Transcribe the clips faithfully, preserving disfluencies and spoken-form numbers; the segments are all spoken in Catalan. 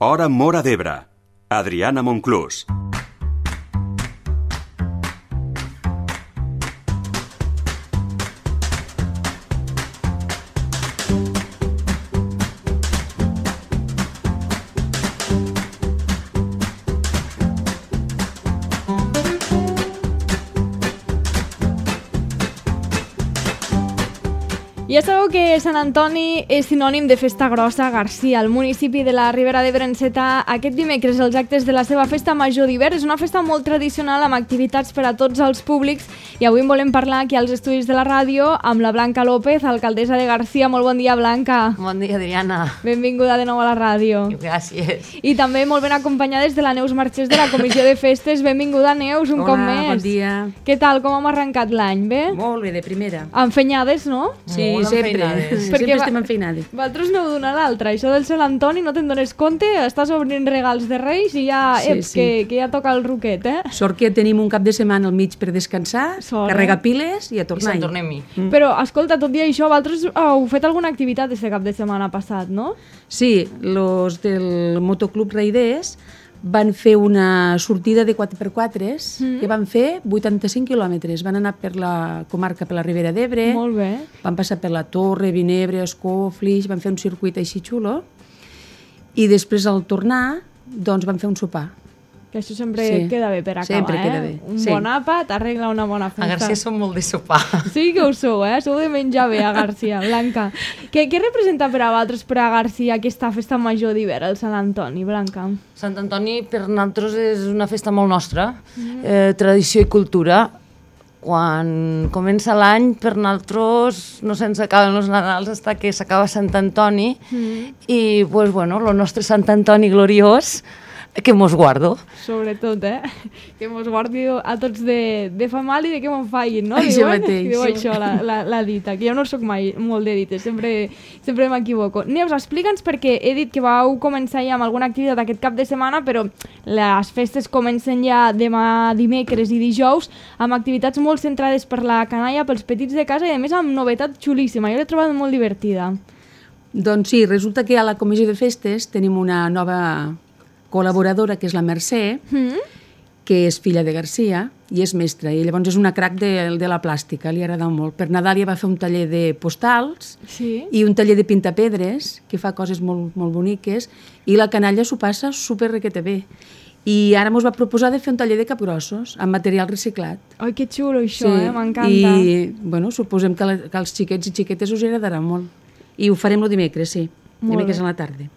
Hora Móra d'Ebre. Adriana Monclús. Ja sabeu que Sant Antoni és sinònim de festa grossa a Garcia. El municipi de la Ribera d'Ebre enceta aquest dimecres els actes de la seva festa major d'hivern. És una festa molt tradicional amb activitats per a tots els públics i avui en volem parlar aquí als estudis de la ràdio amb la Blanca López, alcaldessa de Garcia. Molt bon dia, Blanca. Bon dia, Adriana. Benvinguda de nou a la ràdio. Gràcies. I també molt ben acompanyades de la Neus Marchés de la Comissió de Festes. Benvinguda, Neus, un Hola, cop més. bon dia. Què tal, com hem arrencat l'any? Bé? Molt bé, de primera. Enfenyades, no? Sí, Molt sempre. enfeinades. Sempre estem enfeinades. Vosaltres aneu d'una a l'altra. Això del Sant Antoni no te'n dones compte, estàs obrint regals de Reis i ja, Sí, eps, sí. Que, que ja toca el roquet, eh? Sort que tenim un cap de setmana al mig per descansar, Sort, eh? carregar piles i a I tornar. Sant Tornem-hi. Mm. Però, escolta, tot i això, vosaltres heu fet alguna activitat este cap de setmana passat, no? Sí, los del Motoclub Raiders van fer una sortida de quatre per quatre mm. que van fer vuitanta-cinc quilòmetres. Van anar per la comarca, per la Ribera d'Ebre, Molt bé. van passar per la Torre, Vinebre, Ascó, Flix, van fer un circuit així xulo i després al tornar doncs van fer un sopar. Que això sempre Sí. queda bé per acabar, Sempre eh? queda bé, Un sí. bon àpat arregla una bona festa. A Garcia som molt de sopar. Sí que ho sou, eh? Sou de menjar bé a Garcia, Blanca. Què, què representa per a vosaltres, per a Garcia, aquesta festa major d'hivern, el Sant Antoni, Blanca? Sant Antoni per nosaltres és una festa molt nostra, eh, tradició i cultura. Quan comença l'any, per nosaltres no se'ns acaben els Nadals fins que s'acaba Sant Antoni mm. i, pues, bueno, el nostre Sant Antoni gloriós, que mos guardo. Sobretot, eh? Que mos guardi a tots de, de fa mal i de que m'ho facin, no? Això Diuen? mateix. Diu això, la, la, la dita, que jo no soc mai molt de dites, sempre, sempre m'equivoco. Neus, explica'ns perquè he dit que vau començar ja amb alguna activitat aquest cap de setmana, però les festes comencen ja demà dimecres i dijous amb activitats molt centrades per la canalla, pels petits de casa i a més amb novetat xulíssima. Jo l'he trobat molt divertida. Doncs sí, resulta que a la Comissió de Festes tenim una nova col·laboradora, que és la Mercè, mm. que és filla de Garcia i és mestra, i llavors és una crac de, de la plàstica, li agrada molt. Per Nadal ja va fer un taller de postals Sí. i un taller de pintapedres, que fa coses molt, molt boniques, i la canalla s'ho passa super requete bé. I ara mos va proposar de fer un taller de capgrossos amb material reciclat. Ai, que xulo això, eh? M'encanta. I, bueno, suposem que, la, que als xiquets i xiquetes us agradarà molt. I ho farem el dimecres, sí. Molt Dimecres bé. a la tarda.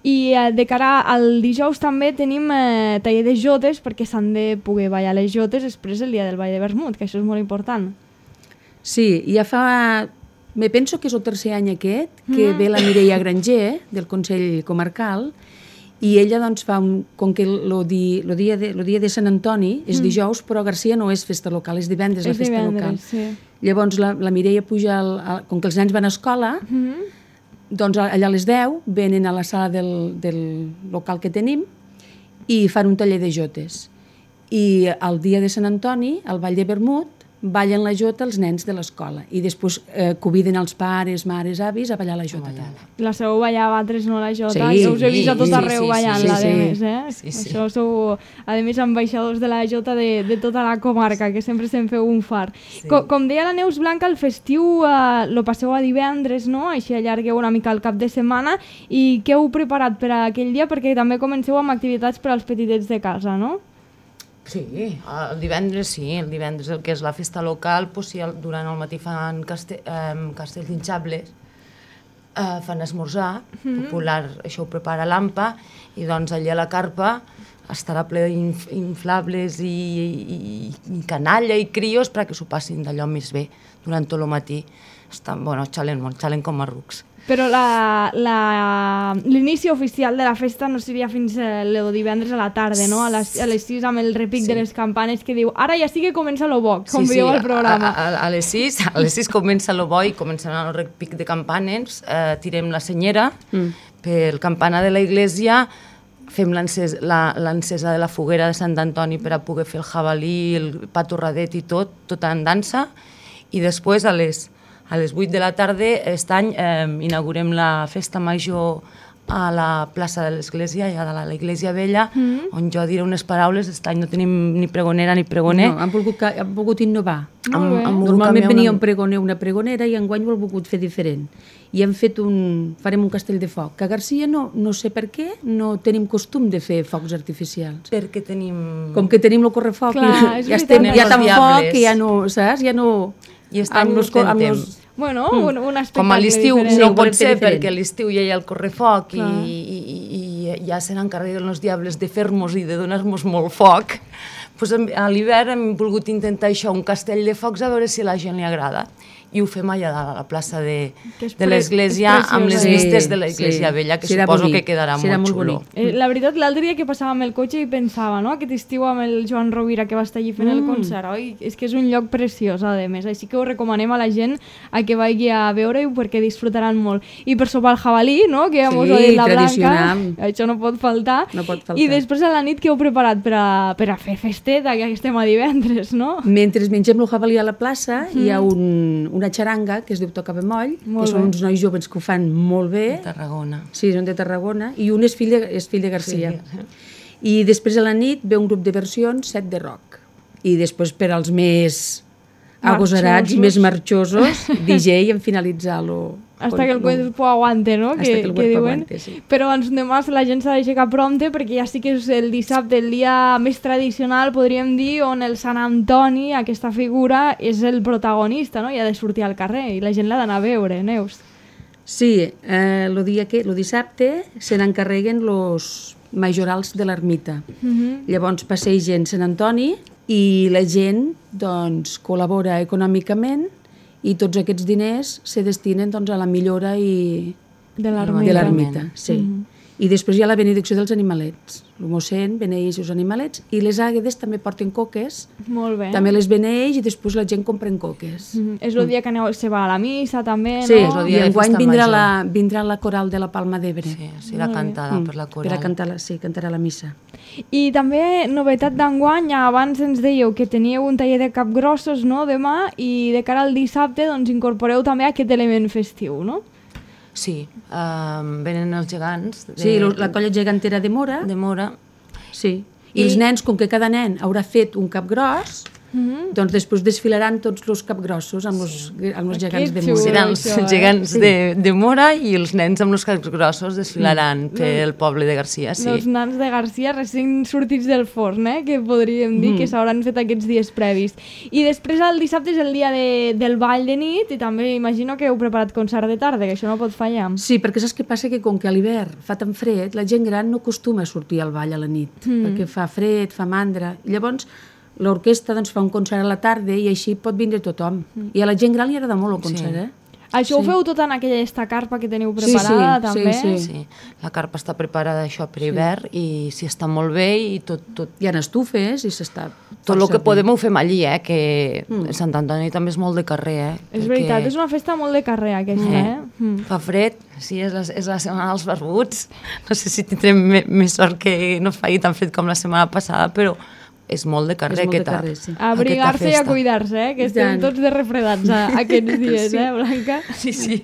I eh, de cara al dijous també tenim eh, taller de jotes perquè s'han de poder ballar les jotes després del dia del ball de vermut, que això és molt important. Sí, ja fa... Me penso que és el tercer any aquest que Mm. ve la Mireia Granger, del Consell Comarcal, i ella doncs fa un... Com que el di, lo dia, de, lo dia de Sant Antoni és Mm. dijous, però a Garcia no és festa local, és divendres la És festa divendres, local. sí. Llavors la, la Mireia puja, al, al, com que els nens van a escola, Mm. doncs allà a les deu venen a la sala del, del local que tenim i fan un taller de jotes. I el dia de Sant Antoni, al Ball de Vermut, ballen la jota els nens de l'escola i després eh, conviden els pares, mares, avis a ballar la jota. també. La sabeu ballar a vosaltres, no, la jota? Sí, Jo us he vist a tot sí, arreu sí, sí, ballant-la, sí, a sí. més, eh? Sí, sí. Això sou, a més, ambaixadors de la jota de, de tota la comarca, que sempre se'n feu un far. Sí. Com, com deia la Neus Blanca, el festiu eh, lo passeu a divendres, no? Així allargueu una mica el cap de setmana. I què heu preparat per a aquell dia? Perquè també comenceu amb activitats per als petitets de casa, no? Sí, el divendres sí, el divendres el que és la festa local, doncs, sí, el, durant el matí fan caste, eh, castells hinxables, eh, fan esmorzar, mm. popular, això ho prepara l'Ampa, i doncs allà a la carpa estarà ple d'inflables i, i, i canalla i crios perquè s'ho passin d'allò més bé durant tot el matí. Estan, bueno, xalen molt, xalen com a rucs. Però la- la- l'inici oficial de la festa no seria fins el divendres a la tarda, no? A les, a les sis amb el repic Sí. de les campanes que diu ara ja sí que comença lo bo, com Sí, diu sí, el programa. A, a, a les sis, a les sis comença el bo i comencen el repic de campanes, eh, tirem la senyera, mm. pel campanar de la iglesia fem l'encesa la, l'encesa de la foguera de Sant Antoni per a poder fer el jabalí, el pa torradet i tot, tot en dansa, i després a les, a les vuit de la tarda aquest any eh, inaugurem la festa major a la plaça de l'Església, allà de l'Església Vella, Mm. on jo diré unes paraules. Aquest any no tenim ni pregonera ni pregoner. No, han volgut, ca- han volgut innovar. Molt bé. volgut Normalment canviar venia una- un pregoner, una pregonera, i enguany ho han volgut fer diferent. I hem fet un... farem un castell de foc, que a Garcia no, no sé per què, no tenim costum de fer focs artificials. Perquè tenim... Com que tenim el correfoc, Clar, i és ja, veritat. estem, ja Els tan foc diables. que ja no, saps? Ja no... I aquest any ho los co- amb intentem. los- Bueno, un, un espectacle Com a l'estiu diferent. no Sí, pot volem fer ser, diferent. perquè a l'estiu ja hi ha el correfoc i, Clar. i, i, i ja se n'encarreguen els diables de fer-nos i de donar-nos molt foc. Pues a l'hivern hem volgut intentar això, un castell de focs, a veure si a la gent li agrada. I ho fem allà dalt, a la plaça de, Que és de pre- l'església, és amb les preciosa. vistes Sí, de l'església sí. vella, que Serà suposo bonic, que quedarà serà molt molt xulo. bonic. Eh, la veritat, l'altre dia que passava amb el cotxe i pensava, no?, aquest estiu amb el Joan Rovira que va estar allí fent mm. el concert, oi? És que és un lloc preciós, a més, així que ho recomanem a la gent a que vagi a veure-ho perquè disfrutaran molt. I per sopar el jabalí, no?, que ja Sí, mos ho ha dit la tradicional. Blanca, això no pot faltar. No pot faltar. I després a la nit que heu preparat per a, per a fer festeta, que estem a divendres, no? Mentre mengem el jabalí a la plaça, mm. hi ha un, una xaranga que es diu Toca Bemoll, Molt que són bé. uns nois joves que ho fan molt bé. De Tarragona. Sí, són de Tarragona, i un és fill de, és fill de Garcia. Sí. I després a la nit ve un grup de versions, set de rock. I després per als més agosarats i més marxosos, D J en finalitzar-lo. Hasta que el cuerpo aguante, no? Hasta que, que el que cuerpo diuen. aguante, sí. Però ens demà la gent s'ha d'aixecar prompte perquè ja sí que és el dissabte, el dia més tradicional, podríem dir, on el Sant Antoni, aquesta figura, és el protagonista, no? I ha de sortir al carrer i la gent l'ha d'anar a veure, Neus. Sí, eh, el dia que, lo dissabte se n'encarreguen los majorals de l'ermita. Mm -hmm. Llavors passegen Sant Antoni i la gent doncs, col·labora econòmicament i tots aquests diners se destinen doncs, a la millora i... De de l'ermita. l'ermita. Sí. Mm -hmm. I després hi ha la benedicció dels animalets. El mossèn beneix els animalets i les àguedes també porten coques, Molt bé. també les beneix i després la gent compra coques. Mm -hmm. És el dia que aneu, se va a la missa també, Sí, no? el i dia de enguany festa vindrà major. la, vindrà la coral de la Palma d'Ebre. Sí, sí, la cantada per la coral. Per a cantar la, sí, cantarà la missa. I també, novetat d'enguany, abans ens dèieu que teníeu un taller de capgrossos, no?, demà, i de cara al dissabte, doncs, incorporeu també aquest element festiu, no? Sí, um, venen els gegants de, Sí, lo- la colla gegantera de Mora, de Mora. sí. I, I- els nens, com que cada nen haurà fet un capgros, Mm -hmm. doncs després desfilaran tots els capgrossos amb els, amb els gegants de Que Mora. xulo. Seran els això, eh? gegants de, de Mora i els nens amb els caps grossos desfilaran pel poble de Garcia, sí. Els nans de Garcia recent sortits del forn, eh? Que podríem dir Mm. que s'hauran fet aquests dies previs. I després el dissabte és el dia de, del ball de nit i també imagino que heu preparat concert de tarda, que això no pot fallar. Sí, perquè saps què passa? Que com que a l'hivern fa tan fred, la gent gran no acostuma a sortir al ball a la nit, mm. perquè fa fred, fa mandra. I llavors l'orquestra doncs, fa un concert a la tarda i així pot vindre tothom. Mm. I a la gent gran li agrada molt el concert, Sí. eh? Això Sí. ho feu tot en aquella esta carpa que teniu Sí, preparada, sí, també? sí, Sí, la carpa està preparada això per hivern i sí, està molt bé i tot, tot, Hi ha estufes i s'està... tot el força que bé. podem ho fem allí, eh? Que mm. Sant Antoni també és molt de carrer, eh? És veritat, és una festa molt de carrer aquesta, eh? Mm. Fa fred, sí, és la, és la setmana dels barbuts. No sé si tindrem me, més sort que no faci tan fred com la setmana passada, però és molt de carrer És molt de aquesta, carrer, sí. A abrigar-se i a aquesta festa. cuidar-se, eh? Que I estem tant. tots de refredats a, aquests dies, Sí. eh, Blanca? Sí, sí.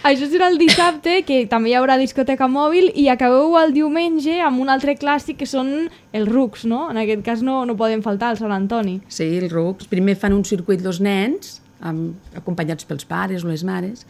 Això serà el dissabte, que també hi haurà discoteca mòbil, i acabeu el diumenge amb un altre clàssic, que són els rucs, no? En aquest cas no, no poden faltar el Sant Antoni. Sí, els rucs. Primer fan un circuit els nens, amb, acompanyats pels pares o les mares,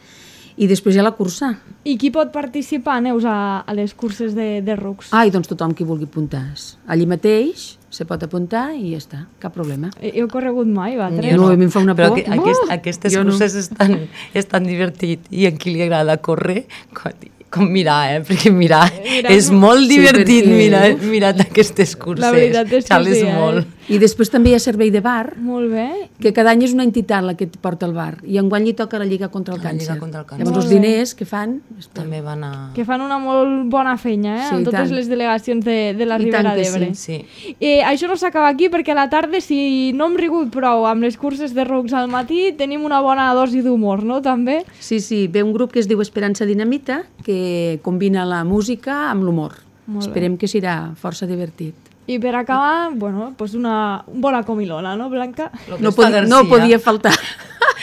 i després hi ha la cursa. I qui pot participar, Neus, a, a les curses de, de rucs? Ah, i doncs tothom qui vulgui apuntar-se. Allí mateix se pot apuntar i ja està, cap problema. He, heu corregut mai, vosaltres? Jo no, a mi em fa una Però por. aqu aquest, Oh! aquestes Jo no. curses estan, estan divertit i a qui li agrada córrer, com, com mirar, eh? Perquè mirar, Mirar és no. molt Sí, divertit perquè- mirar, mirar aquestes curses. La veritat és que Xales sí, eh? molt. I després també hi ha servei de bar, Molt bé. que cada any és una entitat la que et porta al bar, i enguany li toca la Lliga contra el La Lliga Càncer. contra el Càncer. Llavors Molt els bé. diners que fan... També van a... Que fan una molt bona feina, eh? Sí, amb i totes tant. les delegacions de, de la I Ribera tant que d'Ebre. Sí. Eh, això no s'acaba aquí perquè a la tarda, si no hem rigut prou amb les curses de rucs al matí, tenim una bona dosi d'humor, no? També. Sí, sí, ve un grup que es diu Esperança Dinamita, que combina la música amb l'humor. Molt bé. Esperem que serà força divertit. I per acabar, bueno, pues una bona comilona, no, Blanca? Lo que No, es fa podi Garcia. no podia faltar.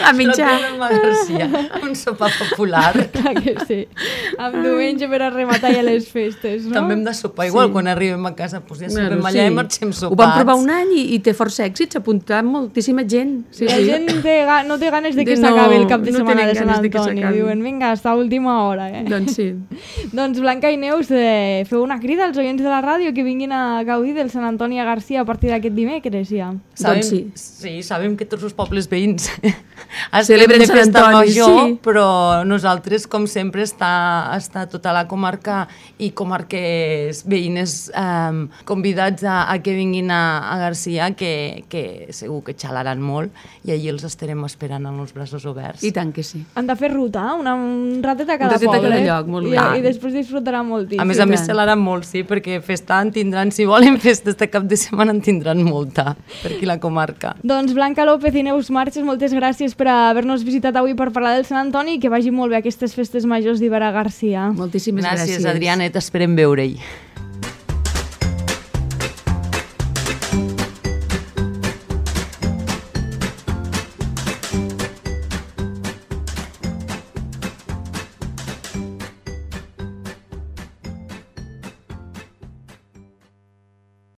a menjar. Lo tenen a Garcia, un sopar popular. Clar que sí. Amb diumenge per a rematar ja les festes, no? També hem de sopar igual, sí. Quan arribem a casa, doncs ja sopem Bueno, allà sí. i marxem sopats. Ho vam provar un any i, i té força èxit, s'ha apuntat moltíssima gent. Sí, La sí. gent té, ga- no té ganes de que De no- s'acabi el cap de no setmana tenen de Sant ganes de que Antoni. s'acabi. Diuen, vinga, hasta última hora, eh? Doncs sí. Doncs Blanca i Neus, eh, feu una crida als oients de la ràdio que vinguin a gaudir del Sant Antoni a Garcia a partir d'aquest dimecres, ja. Sabem, Doncs sí. sí, sabem que tots els pobles veïns Celebren de Sant festa Antoni, major, sí. però nosaltres, com sempre, està, està tota la comarca i comarques veïnes eh, convidats a, a que vinguin a, a Garcia, que, que segur que xalaran molt i allí els estarem esperant amb els braços oberts. I tant que sí. Han de fer ruta, una, un ratet a cada ratet a poble. cada lloc, molt I, bé. I després disfrutaran moltíssim. A més a més, tant. xalaran molt, sí, perquè festa en tindran, si volen festes de cap de setmana en tindran molta, per aquí la comarca. Doncs Blanca López i Neus Marches, moltes gràcies per haver-nos visitat avui per parlar del Sant Antoni i que vagi molt bé aquestes festes majors d'Ibera Garcia. Moltíssimes gràcies. Gràcies, Adriana, i t'esperem veure-hi.